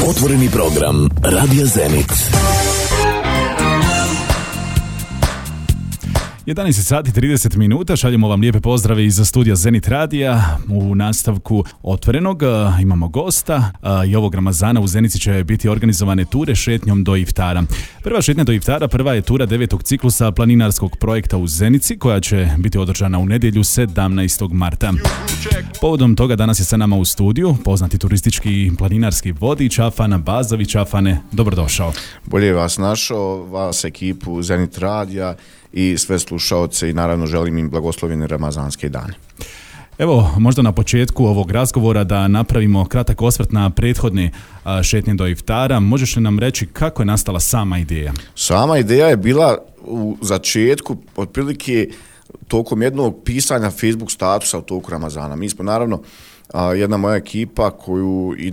Otvoreni program Radio Zenit. 11 sati 30 minuta, šaljemo vam lijepe pozdrave iz studija Zenit Radija. U nastavku Otvorenog imamo gosta i ovog Ramazana u Zenici će biti organizovane ture šetnjom do iftara. Prva šetnja do iftara, prva je tura 9. ciklusa planinarskog projekta u Zenici koja će biti održana u nedjelju 17. marta. Povodom toga danas je sa nama u studiju poznati turistički i planinarski vodič Afan Bazović. Afane, dobrodošao. Bolje vas našao, vas ekipu Zenit Radija i sve slušaoce i naravno želim im blagoslovljene ramazanske dane. Evo, možda na početku ovog razgovora da napravimo kratak osvrt na prethodne šetnje do iftara. Možeš li nam reći kako je nastala sama ideja? Sama ideja je bila u začetku otprilike tokom jednog pisanja Facebook statusa u toku Ramazana. Mi smo naravno jedna moja ekipa koju i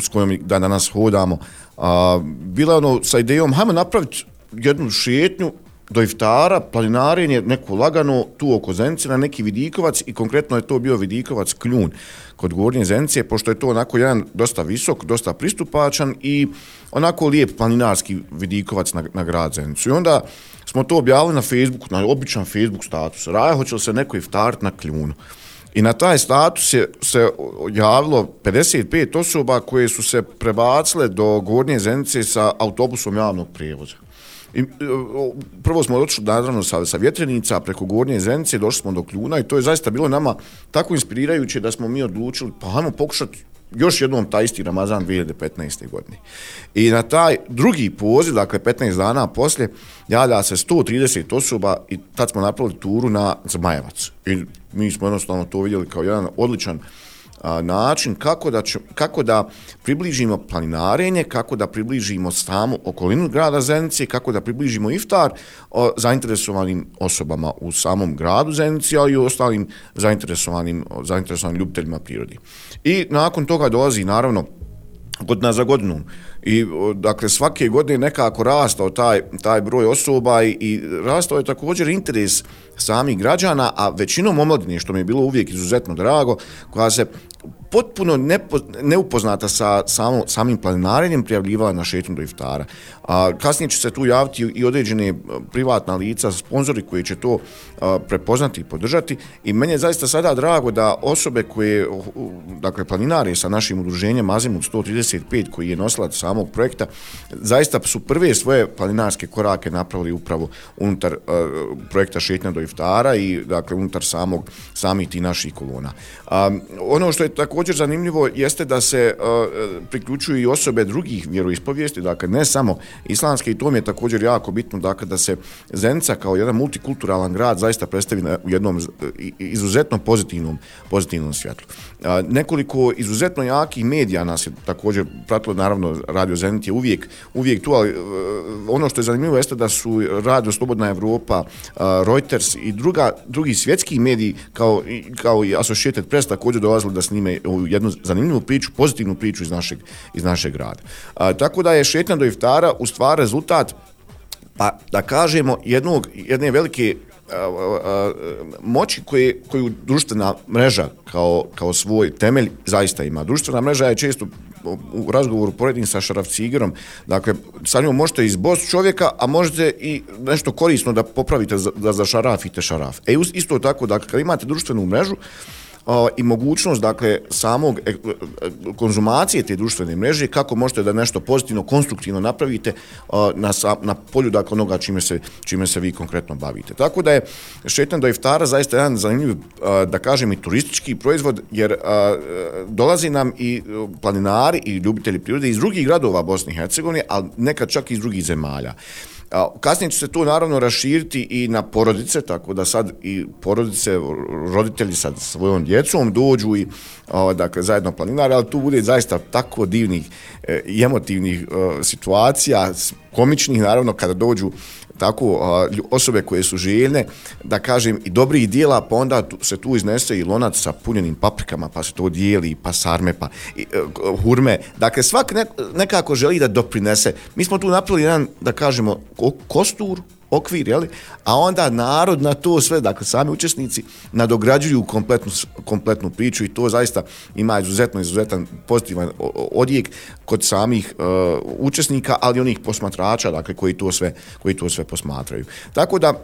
s kojom dan danas hodamo, bila sa idejom hajmo napraviti jednu šetnju do iftara, planinarenje, neko lagano tu oko Zenice na neki vidikovac i konkretno je to bio vidikovac Kljun kod Gornje Zenice, pošto je to onako jedan dosta visok, dosta pristupačan i onako lijep planinarski vidikovac na grad Zenicu. I onda smo to objavili na Facebooku, na običan Facebook status. Raja, hoće li se neko iftarit na Kljunu? I na taj status se javilo 55 osoba koje su se prebacile do Gornje Zenice sa autobusom javnog prijevoza. I, prvo smo došli naravno sa Vjetrenica preko Gornje Zenice, došli smo do Kljuna i to je zaista bilo nama tako inspirirajuće da smo mi odlučili pa hajmo pokušati još jednom taj isti Ramazan 2015. godine. I na taj drugi poziv, dakle 15 dana poslije, javlja se 130 osoba i tad smo napravili turu na Zmajevac. I mi smo jednostavno to vidjeli kao jedan odličan način kako da približimo planinarenje, kako da približimo samu okolinu grada Zenice, kako da približimo iftar zainteresovanim osobama u samom gradu Zenici, ali i ostalim zainteresovanim ljubiteljima prirode. I nakon toga dolazi naravno godina za godinom. I dakle svake godine nekako rastao taj broj osoba i rastao je također interes samih građana, a većinom omladine, što mi je bilo uvijek izuzetno drago, koja se potpuno neupoznata sa samim planinarenjem prijavljivala na šetnju do iftara. Kasnije će se tu javiti i određene privatna lica, sponzori koji će to prepoznati i podržati i meni je zaista sada drago da osobe koje, dakle planinare sa našim udruženjem Azimut 135 koji je nosilac samog projekta, zaista su prve svoje planinarske korake napravili upravo unutar projekta šetnja do iftara i dakle unutar samih tih naših kolona. Ono što je također zanimljivo jeste da se priključuju i osobe drugih vjeroispovijesti, dakle ne samo islamske, i to mi je također jako bitno, dakle da se Zenica kao jedan multikulturalan grad zaista predstavi u jednom izuzetno pozitivnom svjetlu. Nekoliko izuzetno jakih medija nas je također pratilo, naravno Radio Zenit je uvijek tu, ali ono što je zanimljivo jeste da su Radio Slobodna Evropa, Reuters i drugi svjetski mediji kao i Associated Press također dolazili da snime jednu zanimljivu priču, pozitivnu priču iz našeg grada. Tako da je šetnja do iftara u stvari rezultat, pa da kažemo, jedne velike moći koju društvena mreža kao svoj temelj zaista ima. Društvena mreža je često u razgovoru poredim sa Šaraf Cigerom, dakle sa njom možete izbosti čovjeka, a možete i nešto korisno da popravite da zašarafite šaraf. Isto tako, dakle, kad imate društvenu mrežu i mogućnost, dakle, samog konzumacije te društvene mreže, kako možete da nešto pozitivno, konstruktivno napravite na polju, dakle, onoga čime se vi konkretno bavite. Tako da je šetnja do iftara zaista jedan zanimljiv, da kažem, i turistički proizvod, jer dolazi nam i planinari i ljubitelji prirode iz drugih gradova Bosne i Hercegovine, ali nekad čak i iz drugih zemalja. Kasnije će se to naravno raširiti i na porodice, tako da sad i porodice, roditelji sa svojom djecom dođu i dakle zajedno planinare, ali tu bude zaista tako divnih i emotivnih situacija, komičnih naravno kada dođu tako osobe koje su željne, da kažem, i dobrih dijela, pa onda se tu iznese i lonac sa punjenim paprikama, pa se to dijeli, pa sarme, pa hurme. Dakle, svak nekako želi da doprinese. Mi smo tu napravili jedan, da kažemo, kostur okvir, jeli? A onda narod na to sve, dakle sami učesnici nadograđuju kompletnu priču i to zaista ima izuzetan pozitivan odjek kod samih učesnika, ali onih posmatrača, dakle koji to sve posmatraju. Tako da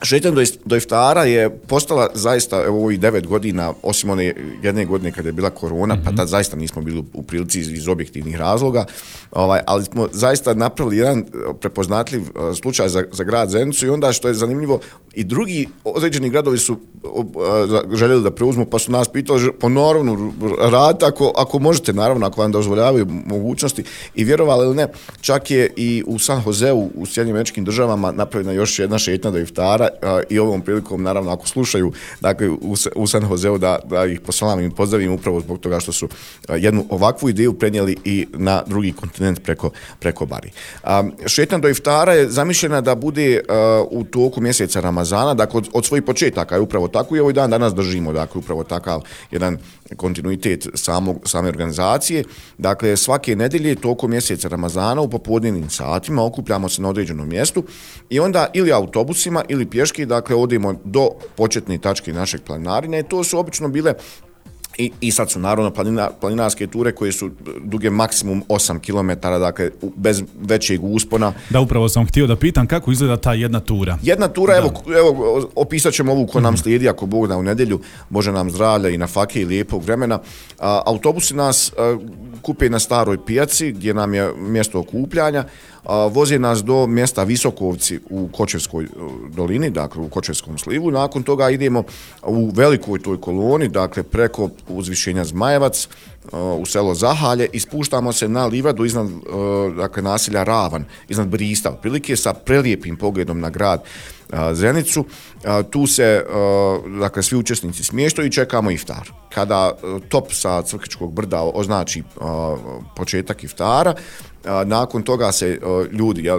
šetnja do iftara je postala zaista evo ovih 9 godina, osim one jedne godine kada je bila korona, pa tad zaista nismo bili u prilici iz objektivnih razloga, ali smo zaista napravili jedan prepoznatljiv slučaj za grad Zenicu i onda što je zanimljivo i drugi određeni gradovi su željeli da preuzmu, pa su nas pitali ponovno radite ako možete, naravno, ako vam dozvoljavaju mogućnosti i vjerovali ili ne, čak je i u San Joseu u Sjedinjenim Američkim Državama napravljena još jedna šetnja do iftara i ovom prilikom, naravno, ako slušaju, dakle, u San Joseu da ih posalam i pozdravim upravo zbog toga što su jednu ovakvu ideju prenijeli i na drugi kontinent preko Bari. Šetnja do iftara je zamišljena da bude u toku mjeseca Ramazana, dakle, od svojih početaka je upravo tako i ovaj dan danas držimo, dakle, upravo takav jedan kontinuitet same organizacije. Dakle, svake nedjelje tokom mjeseca Ramazana u popodnevnim satima okupljamo se na određenom mjestu i onda ili autobusima ili pješke, dakle, odemo do početne tačke našeg planinarenja i to su obično bile i sad su naravno planinarske ture koje su duge maksimum 8 km, dakle bez većeg uspona. Da, upravo sam htio da pitam kako izgleda ta jedna tura. Jedna tura, evo opisat ćemo ovu ko nam slijedi, ako Bog da u nedjelju, Bože nam zdravlja i na fake i lijepog vremena. Autobusi nas kupe na staroj pijaci gdje nam je mjesto okupljanja, voze nas do mjesta Visokovci u Kočevskoj dolini, dakle u Kočevskom slivu. Nakon toga idemo u velikoj toj koloni, dakle preko uzvišenja Zmajevac u selo Zahalje i spuštamo se na livadu iznad dakle, naselja Ravan, iznad Brista, otprilike sa prelijepim pogledom na grad Zenicu. Tu se dakle, svi učesnici smještaju i čekamo iftar. Kada top sa Crkvičkog brda označi početak iftara, nakon toga se ljudi,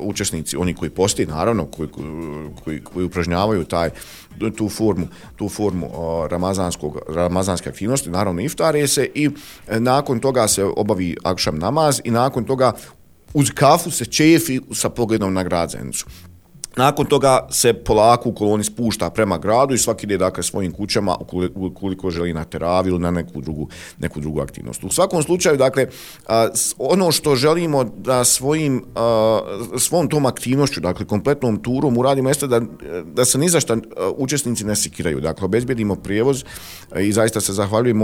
učesnici, oni koji posti, naravno, koji upražnjavaju tu formu ramazanske aktivnosti, naravno iftare se i nakon toga se obavi akšam namaz i nakon toga uz kafu se čefi sa pogledom na grad Zenicu. Nakon toga se polako u koloni spušta prema gradu i svaki ide dakle svojim kućama ukoliko želi na teravi ili na neku drugu aktivnost. U svakom slučaju, dakle, ono što želimo da svom tom aktivnošću, dakle kompletnom turom uradimo jeste da se ni za šta učesnici ne sekiraju. Dakle, obezbjedimo prijevoz i zaista se zahvaljujem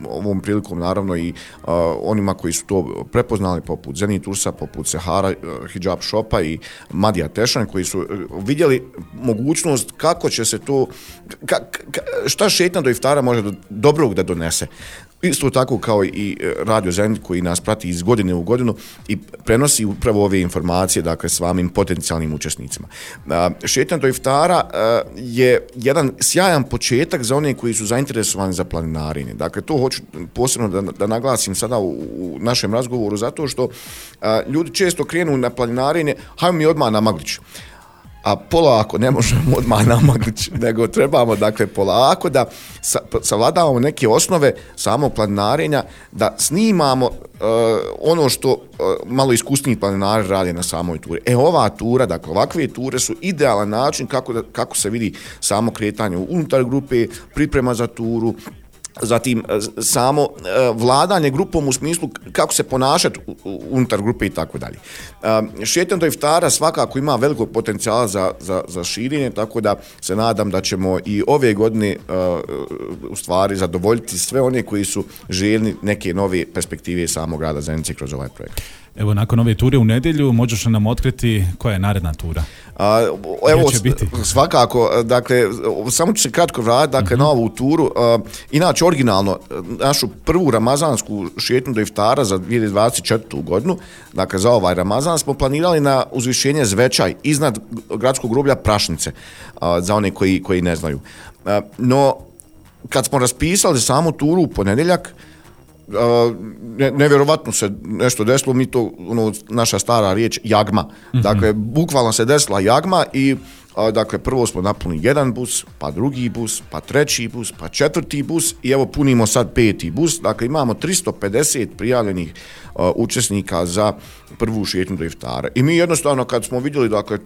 ovom prilikom naravno i onima koji su to prepoznali poput Zenit Ursa, poput Sehara Hijab Shopa i Madija Tešan koji su vidjeli mogućnost kako će se to, šta šetnja do iftara može dobrog da donese. Isto tako kao i Radio Zenit koji nas prati iz godine u godinu i prenosi upravo ove informacije, dakle, svamim potencijalnim učesnicima. Šetnja do iftara je jedan sjajan početak za one koji su zainteresovani za planinarenje. Dakle, to hoću posebno da naglasim sada u našem razgovoru, zato što ljudi često krenu na planinarenje, hajmo mi odmah na Maglić. A polako, ne možemo odmah na Maglić, nego trebamo, dakle, polako da savladavamo neke osnove samog planinarenja, da snimamo ono što malo iskusniji planinari rade na samoj turi. Ova tura, dakle, ovakve ture su idealan način kako se vidi samo kretanje unutar grupe, priprema za turu, zatim samo vladanje grupom u smislu kako se ponašati unutar grupe i tako dalje. Šetnja do iftara svakako ima velikog potencijala za širenje, tako da se nadam da ćemo i ove godine u stvari zadovoljiti sve one koji su željni neke nove perspektive samog grada Zenice kroz ovaj projekt. Evo, nakon ove ture u nedjelju, možeš li nam otkriti koja je naredna tura? Evo, svakako, dakle, samo ću se kratko vratiti, dakle, na ovu turu. Inače, originalno, našu prvu ramazansku šetnju do iftara za 2024. godinu, dakle, za ovaj Ramazan, smo planirali na uzvišenje Zvečaj, iznad gradskog groblja Prašnice, za one koji ne znaju. No, kad smo raspisali samu turu u ponedjeljak, nevjerovatno se nešto desilo, mi to, naša stara riječ, jagma. Dakle, bukvalno se desila jagma i dakle, prvo smo napunili jedan bus, pa drugi bus, pa treći bus, pa četvrti bus i evo punimo sad peti bus. Dakle, imamo 350 prijavljenih učesnika za prvu šetnju do iftara. I mi jednostavno kad smo vidjeli, dakle,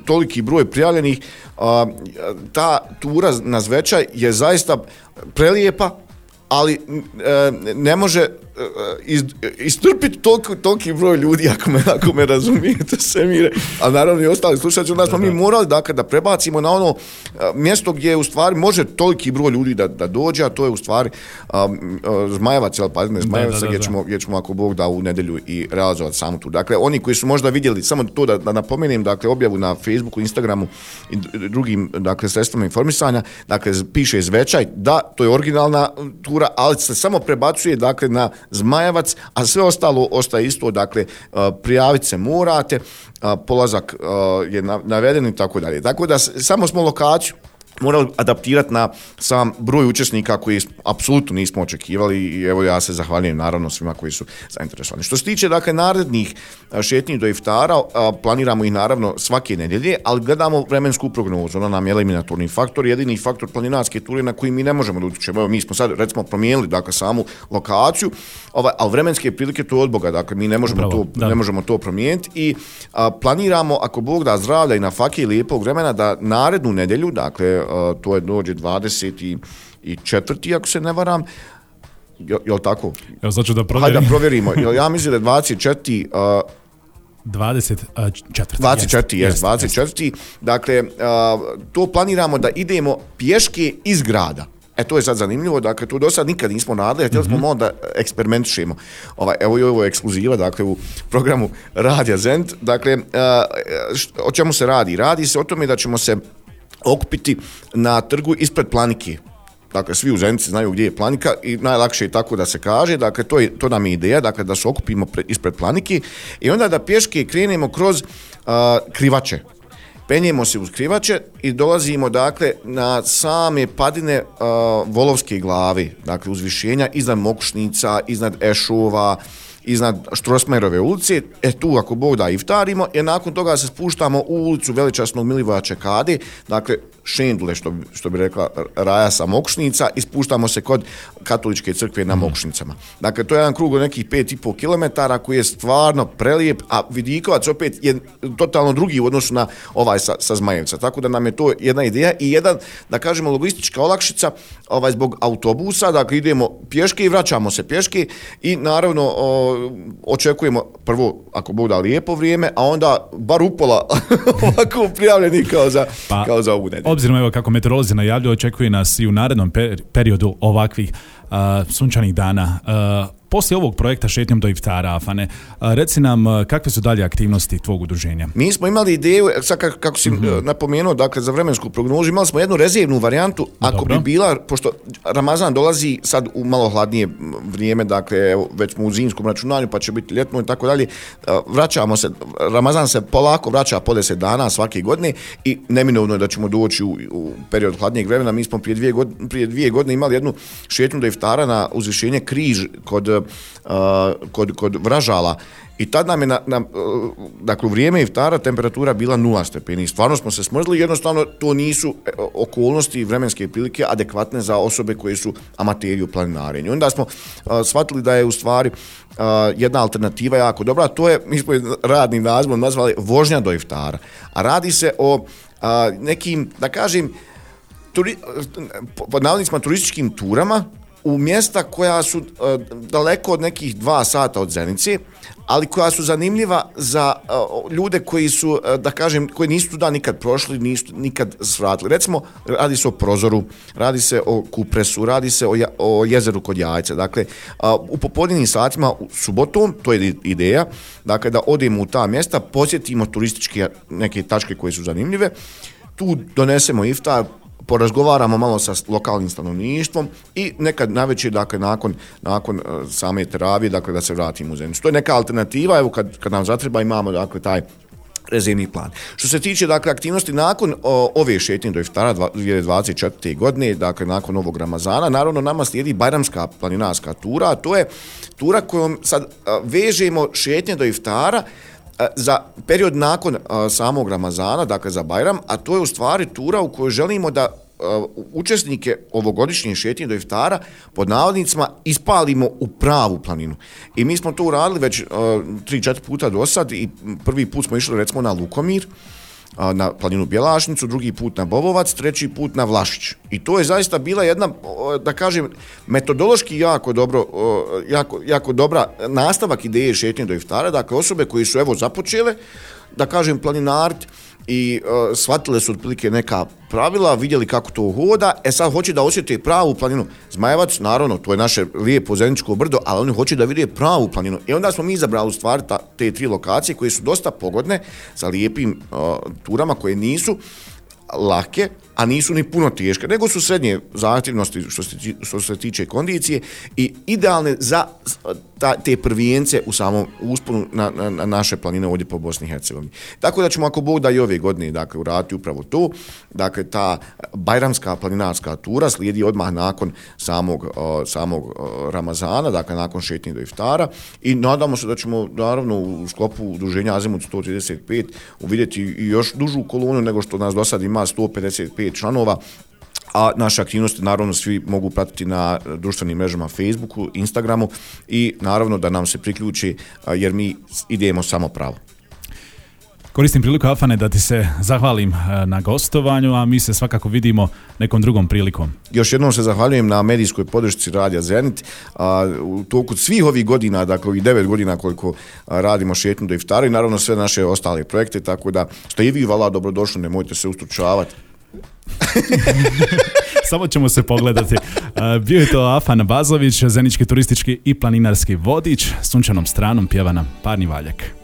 toliki broj prijavljenih, ta tura na Zvečaj je zaista prelijepa, ali ne može istrpiti toliki broj ljudi, ako me razumijete, Semire, a naravno i ostali slušatelji, onda smo mi morali dakle, da prebacimo na ono mjesto gdje u stvari može toliki broj ljudi da dođe, a to je u stvari Zmajevac, Zmajevac, gdje ćemo ako Bog da u nedjelju i realizovati samu tu. Dakle, oni koji su možda vidjeli, samo to da napomenem, dakle, objavu na Facebooku, Instagramu i drugim dakle, sredstvima informisanja, dakle, piše Zvečaj, da, to je originalna tura, ali se samo prebacuje dakle, na Zmajevac, a sve ostalo ostaje isto, dakle, prijaviti se morate, polazak je naveden i tako dalje. Tako da samo smo lokaciju morali adaptirati na sam broj učesnika koji apsolutno nismo očekivali i evo ja se zahvaljujem naravno svima koji su zainteresovani. Što se tiče dakle narednih šetnji do iftara, planiramo ih naravno svake nedjelje, ali gledamo vremensku prognozu, ona nam je eliminatorni faktor, jedini faktor planinarske ture na koji mi ne možemo da utječemo. Evo mi smo sad recimo promijenili dakle samu lokaciju, ali vremenske prilike to je od Boga, dakle mi ne možemo to promijeniti i planiramo ako Bog da zdravlja i na fake i lijepog vremena da narednu nedjelju, dakle to je dođe 24. ako se ne varam, je li tako? Evo sad ću da provjerim. Hajde da provjerimo, ja mislim da je 24. 24. Dakle, to planiramo da idemo pješke iz grada. To je sad zanimljivo, dakle, to do sad nikad nismo radili, htjeli smo malo da eksperimentišemo. Evo i ovo je ekskluziva, dakle, u programu Radija Zenit. Dakle, o čemu se radi? Radi se o tome da ćemo se okupiti na trgu ispred Planike. Dakle, svi u Zenici znaju gdje je Planika i najlakše je tako da se kaže. Dakle, to nam je ideja, dakle, da se okupimo ispred Planike i onda da pješke krenemo kroz Krivače. Penjemo se uz Krivače i dolazimo, dakle, na same padine Volovske glave, dakle, uzvišenja iznad Mokušnica, iznad Ešova, iznad Štrosmajerove ulice, tu ako Bog da iftarimo, i nakon toga se spuštamo u ulicu veličasnog Milivoja Čekade, dakle Šendule, što bi rekla Raja sa Mokušnica, i spuštamo se kod katoličke crkve na Mokušnicama. Dakle, to je jedan krug od nekih 5,5 km koji je stvarno prelijep, a Vidikovac opet je totalno drugi u odnosu na ovaj sa Zmajevca. Tako da nam je to jedna ideja i jedan, da kažemo, logistička olakšica zbog autobusa, dakle idemo pješke i vraćamo se pješke i naravno očekujemo prvo, ako Bog da, lijepo vrijeme, a onda bar upola ovako prijavljeni kao za ovu nedjelju. Obzirom evo kako meteorolozi najavljuju, očekuje nas i u narednom periodu ovakvih sunčanih dana. Poslije ovog projekta Šetnjom do iftara, Afane, reci nam kakve su dalje aktivnosti tvog udruženja? Mi smo imali ideju, sad kako si napomenuo, dakle za vremensku prognozu, imali smo jednu rezervnu varijantu, ako bi bila, pošto Ramazan dolazi sad u malo hladnije vrijeme, dakle evo, već smo u zimskom računanju, pa će biti ljetno i tako dalje, vraćamo se, Ramazan se polako vraća po 10 dana svake godine i neminovno je da ćemo doći u period hladnijeg vremena. Mi smo prije 2 godine imali jednu šetnju do iftara na uzvišenje Križ kod Vražala i tad nam je dakle u vrijeme iftara temperatura bila 0 stepeni. Stvarno smo se smrzli, jednostavno to nisu okolnosti i vremenske prilike adekvatne za osobe koje su amateri u planinarenju. Onda smo shvatili da je u stvari jedna alternativa jako dobra, to je, mi smo radnim nazivom nazvali vožnja do iftara. A radi se o nekim, da kažem, pod navodnicima turističkim turama u mjesta koja su daleko od nekih 2 sata od Zenice, ali koja su zanimljiva za ljude koji su, da kažem, koji nisu tuda nikad prošli, nisu nikad svratili. Recimo, radi se o Prozoru, radi se o Kupresu, radi se o jezeru kod Jajce. Dakle, u popodnevnim satima subotom, to je ideja, dakle, da odemo u ta mjesta, posjetimo turističke neke tačke koje su zanimljive, tu donesemo iftar, porazgovaramo malo sa lokalnim stanovništvom i nekad navečer, dakle, nakon same teravije, dakle, da se vratimo u Zenicu. To je neka alternativa, evo kad nam zatreba imamo, dakle, taj rezervni plan. Što se tiče, dakle, aktivnosti nakon ove šetnje do iftara 2024. godine, dakle, nakon ovog Ramazana, naravno nama slijedi Bajramska planinarska tura, a to je tura kojom sad vežemo šetnje do iftara za period nakon samog Ramazana, dakle za Bajram, a to je u stvari tura u kojoj želimo da učesnike ovogodišnje šetnje do iftara pod navodnicima ispalimo u pravu planinu. I mi smo to uradili već 3-4 puta do sad i prvi put smo išli recimo na Lukomir, na planinu Bjelašnicu, drugi put na Bobovac, treći put na Vlašić. I to je zaista bila jedna, da kažem, metodološki jako dobra nastavak ideje šetnje do iftara, dakle osobe koji su evo započele, da kažem, planinart i shvatile su otprilike neka pravila, vidjeli kako to hoda, sad hoće da osjete pravu planinu. Zmajevac, naravno, to je naše lijepo zeničko brdo, ali oni hoće da vide pravu planinu. I onda smo mi izabrali u stvari te 3 lokacije koje su dosta pogodne sa lijepim turama koje nisu lake, a nisu ni puno teške, nego su srednje zahtjevnosti što se tiče kondicije i idealne za te prvijence u samom usponu na naše planine ovdje po Bosni i Hercegovini. Tako da ćemo, ako Bog da, i ove godine, dakle, uraditi upravo to. Dakle, ta bajramska planinarska tura slijedi odmah nakon samog Ramazana, dakle, nakon šetnje do iftara, i nadamo se da ćemo, naravno, u sklopu udruženja Azimut 135 uvidjeti i još dužu kolonu nego što nas do sad ima 155 članova, a naše aktivnosti naravno svi mogu pratiti na društvenim mrežama Facebooku, Instagramu i naravno da nam se priključi jer mi idemo samo pravo. Koristim priliku, Afane, da ti se zahvalim na gostovanju, a mi se svakako vidimo nekom drugom prilikom. Još jednom se zahvaljujem na medijskoj podršci Radija Zenit. U toku svih ovih godina, dakle ovih 9 godina koliko radimo šetnju do iftara i naravno sve naše ostale projekte, tako da ste i vi, vala, dobrodošli, nemojte se ustručavati. Samo ćemo se pogledati. Bio je to Afan Bazović, zenički turistički i planinarski vodič. Sunčanom stranom pjeva nam Parni Valjak.